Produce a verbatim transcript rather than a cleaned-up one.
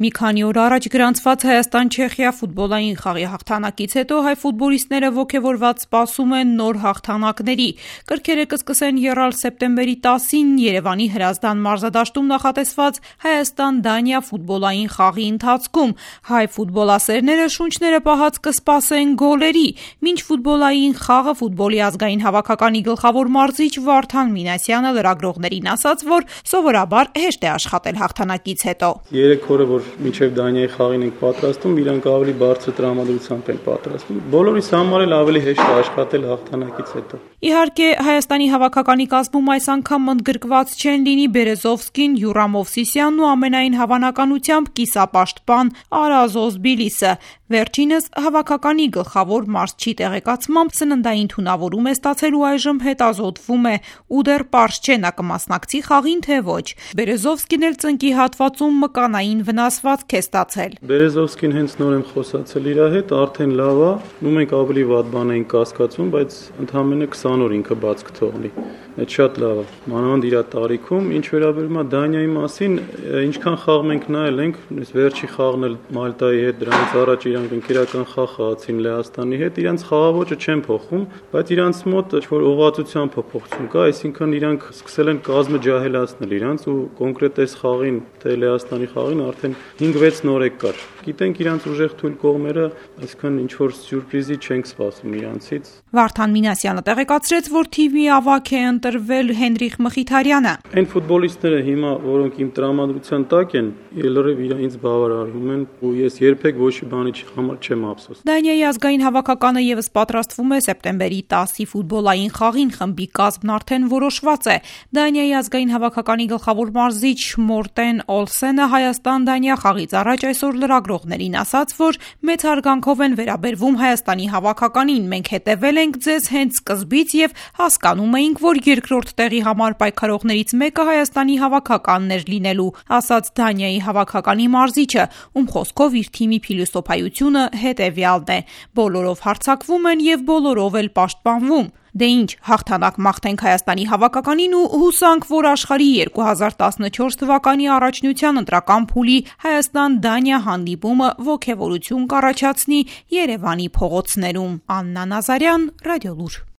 Մի քանի օր առաջ գրանցված Հայաստան-Չեխիա ֆուտբոլային խաղի հաղթանակից հետո հայ ֆուտբոլիստները ոգևորված սպասում են նոր հաղթանակների։ Կրքերը կսկսեն եռալ սեպտեմբերի տասին Երևանի Հրազդան մարզադաշտում նախատեսված Հայաստան-Դանիա ֆուտբոլային խաղի ընթացքում։ Հայ ֆուտբոլասերները շունչները պահած կսպասեն գոլերի, մինչ ֆուտբոլային խաղը ֆուտբոլի ազգային հավաքականի գլխավոր մարզիչ Վարդան Մինասյանը լրագրողներին ասաց, որ սովորաբար հեշտ է աշխատել հաղթանակից հետո։ Երեք օրը որ մինչև Դանիայի խաղին ենք պատրաստում, իրանք ավելի բարձր տրամադրությամբ են պատրաստում։ Բոլորիս համար էլ ավելի հեշտ է աշխատել հաղթանակից հետո։ Իհարկե, Հայաստանի հավաքականի կազմում այս անգամ ընդգրկված չեն լինի Բերեզովսկին, Յուրամ Մովսիսյանն ու ամենայն հավանականությամբ կիսապաշտպան Արազոզ Բիլիսը։ Վերջինս հավաքականի գլխավոր մարզչի տեղեկացմամբ սննդային թունավորում է ստացել ու այժմ հետազոտվում է ու դեռ պարզ չէ նա կմասնակցի խաղին թե ոչ։ Բերեզովսկին էլ ծնկի հատվածում մկանային վնասվածք է ստացել։ Բերեզովսկին հենց նոր եմ խոսացել իր հետ, արդեն լավ է, ու մենք ավելի վատ բան ենք կասկածում, բայց ընդամենը քսան օր ինքը բաց կթողնի։ Այդ շատ լավ է։ Մանավանդ իր տարիքում, ինչ վերաբերում է Դանիայի մասին, ինչքան խաղ մենք նայել ենք, վերջի խաղն էլ Մալտայի հետ, դրանից առաջ իրանք ընկերական խաղ խաղացին Լեհաստանի հետ, իրանք խաղաոճը չեն փոխում, բայց իրանք մոտ ինչ-որ ուղղվածության փոփոխություն կա, այսինքն իրանք սկսել են կազմը ջահելացնել իրանք ու կոնկրետ այս խաղին, թե Լեհաստանի խաղին արդեն հինգ-վեց նորեկ կար։ Գիտենք իրանք ուժեղ թույլ կողմերը, այսինքն ինչ-որ սյուրպրիզի չենք սպասում իրանցից։ Վարդան Մինասյանը տեղեկացրեց, որ թիմի ավագ է ընտրվել Հենրիխ Մխիթարյանը։ Այն ֆուտբոլիստները հիմա, որոնք իմ տրամադրության տակ են, լրիվ իրենց բավարարվում են ու ես երբեք ոչ մի բանի համար չեմ ափսոս։ Դանիայի ազգային հավաքականը եւս պատրաստվում է սեպտեմբերի տասի ֆուտբոլային խաղին, խմբի կազմն արդեն որոշված է։ Դանիայի ազգային հավաքականի գլխավոր մարզիչ Մորտեն Օլսենը Հայաստան-Դանիա խաղից առաջ այսօր լրագրողներին ասաց, որ մեծ հարգանքով են վերաբերվում Հայաստանի հավաքականին, մենք հետևել ենք ձեզ հենց սկզբից եւ հասկանում էինք, որ երկրորդ տեղի համար պայքարողներից մեկը Հայաստանի հավաքականն էր լինելու, ասաց Դանիայի հավաքականի մարզիչը, ում խոսքով իր թիմի փիլիսոփայությունը հետեւյալն է. բոլորով հարձակվում են եւ բոլորով էլ պաշտպանվում։ Դե ինչ, հաղթանակ մաղթենք Հայաստանի հավաքականին ու հուսանք, որ աշխարհի երկու հազար տասնչորս թվականի առաջնության ընտրական փուլի Հայաստան-Դանիա հանդիպումը ոգևորություն կառաջացնի Երևանի փողոցներում։ Աննա Նազարյան, Ռադիոլուր։